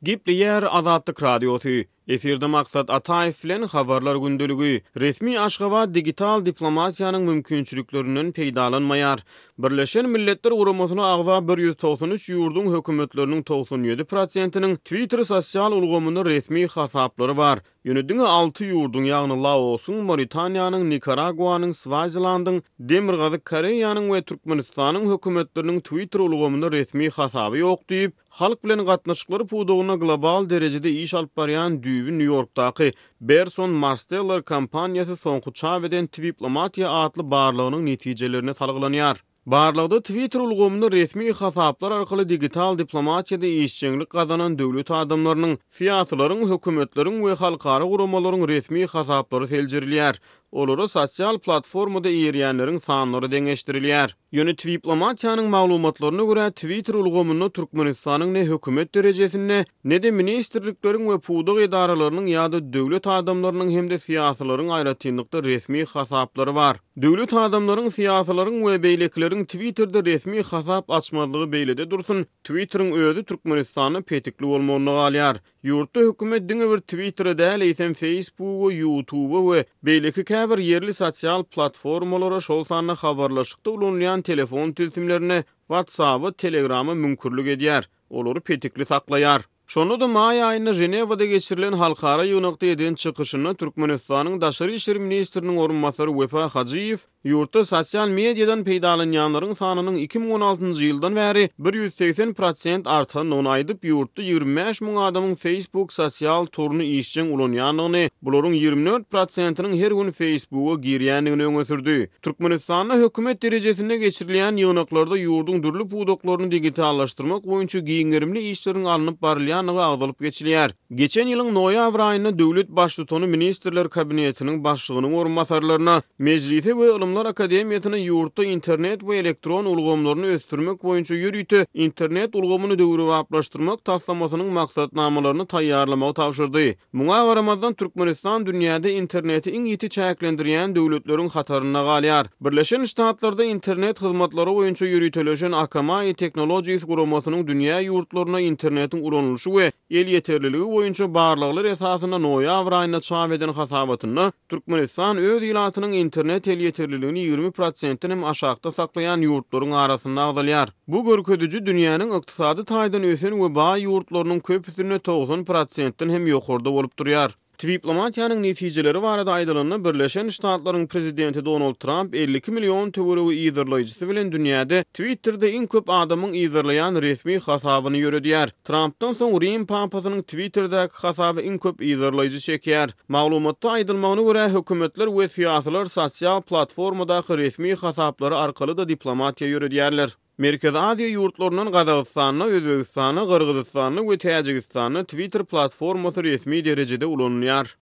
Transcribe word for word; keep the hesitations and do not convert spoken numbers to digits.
Gepleýär Azatlyk Radiosy. Efirde Maksat Ataýew bilen Habarlar gündeligi. Resmi Aşgabat digital diplomatiýanyň mümkinçiliklerinden peýdalanmaýar. Birleşen Milletler Guramasyna agza bir ýüz togsan üç ýurduň hökümetleriniň togsan ýedi prosentiniň Twitter sosial ulgamynda resmi hasaplary bar. Ýöne diňe alty ýurduň, ýagny Laosyň, Mauritaniýanyň, Nikaraguanyň, Swazilandyň, Demirgazyk Koreýanyň we Türkmenistanyň hökümetleriniň Twitter ulgamynda resmi hasaby ýok diýip, halk bilen gatnaşyklary pudagynda global derejede iş alyp barýan düýbi Nýu-Ýorkdaky Burson Marsteller kompaniýasy soňky çap eden Twiplomatiýa atly barlagynyň netijelerine salgylanýar. Barlagda Twitter ulgamynda resmi hasaplar arkaly digital diplomatiýada işjeňlik gazanan döwlet adamlarynyň, syýasylaryň, hökümetleriň we halkara guramalaryň resmi hasaplary seljerilýär. Olara sosial platformada eýerýänleriň sanlary deňeşdirilýär. Ýöne Twiplomatiýanyň maglumatlaryna görä, Twitter ulgamynda Türkmenistanyň ne hökümet derejesinde, ne-de ministrlikleriň we pudak edaralarynyň ýa-da döwlet adamlarynyň hem-de syýasylaryň aýratynlykda resmi hasaplary bar. Döwlet adamlaryň, syýasylaryň we beýlekileriň Twitterde resmi hasap açmazlygy beýlede dursun, Twitteriň özi Türkmenistanda petikli bolmagynda galýar. Ýurtda hökümet diňe bir Twittere däl, eýsem Facebooka, YouTubea we beýleki käbir ýerli sosial platformalara, şol sanda habarlaşykda ulanylýan telefon tilsimlerine, WhatsApp-a, Telegram-a müňkürlik edýär, olary petikli saklaýar. Şonda-da maý aýynda Ženewada geçirilen halkara ýygnakda eden çykyşynda Türkmenistanyň Daşary işler ministriniň orunbasary Wepa Hajyýew ýurtda sosial mediadan peýdalanýanlaryň sanynyň iki müň on altynjy ýyldan bäri bir ýüz segsen prosent artandygyny aýdyp, ýurtda ýigrimi bäş müň adamyň Facebook sosial toruny işjeň ulanýandygyny, bularyň ýigrimi dört prosentiniň her gün Facebooka girýändigini öňe sürdi. Türkmenistanda hökümet derejesinde geçirilýän ýygnaklarda ýurduň dürli pudaklaryny digitallaşdyrmak boýunça giň gerimli işleriň alnyp barylýandygy agzalyp geçilýär. Geçen ýylyň noýabr aýynda döwlet baştutany Ministrler Kabinetiniň başlygynyň orunbasarlaryna, Mejlise we Ylymlar Akademiýasyna ýurtda internet we elektron ulgamlaryny ösdürmek boýunça ýörite internet ulgamyny döwrebaplaşdyrmak taslamasynyň maksatnamalaryny taýýarlamagy tabşyrdy. Muňa garamazdan Türkmenistan dünýäde interneti iň ýiti çäklendirýän döwletleriň hatarynda galýar. Birleşen Ştatlarda internet hyzmatlary boýunça ýöriteleşen Akamai Technologies guramasynyň dünýä ýurtlaryna internetiň ulanylyşy we elýeterliligi boýunça barlaglar esasynda noýabr aýynda çap eden hasabatynda Türkmenistan öz ilatynyň internet elýeterliligini ýigrimi prosentden hem aşakda saklaýan ýurtlaryň arasynda agzalýar. Bu görkeziji dünýäniň ykdysady taýdan ösen we baý ýurtlarynyň köpüsinde togsan prosentden hem ýokarda bolup durýar. Twiplomatiýanyň netijeleri barada aýdylanda, Birleşen Ştatlaryň prezidenti Donald Tramp elli iki million töweregi yzarlaýjysy bilen dünýäde Twitterde iň köp adamyň yzarlaýan resmi hasabyny ýöredýär. Trampdan soň Rim papasynyň Twitterdäki hasaby iň köp yzarlaýjy çekýär. Maglumatda aýdylmagyna görä, hökümetler we syýasylar sosial platformadaky resmi hasaplary arkaly-da diplomatiýa ýöredýärler. Merkezi Aziýa ýurtlaryndan Gazagystanda, Özbegistanda, Gyrgyzystanda we Täjigistanda Twitter platformasy resmi derejede ulanylýar.